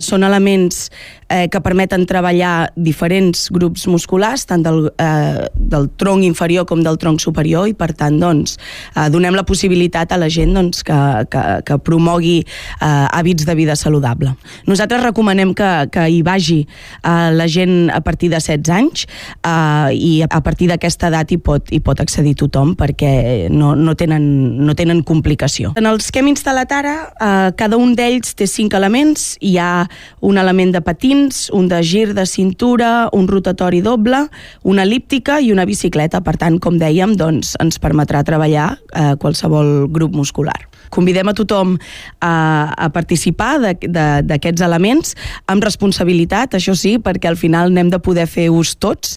Són elements que permeten treballar diferents grups musculars, tant del tronc inferior com del tronc superior, i per tant donem la possibilitat a la gent que promogui hàbits de vida saludable. Nosaltres recomanem que hi vagi la gent a partir de 16 anys i a partir d'aquesta edat hi pot accedir tothom perquè no tenen complicació. En els que hem instal·lat ara, cada un d'ells té 5 elements. Hi ha un element de patins, un de gir de cintura, un rotatori doble, una elíptica i una bicicleta. Per tant, com dèiem, ens permetrà treballar qualsevol grup muscular. Convidem a tothom a participar d'aquests elements amb responsabilitat, això sí, perquè al final n'hem de poder fer ús tots.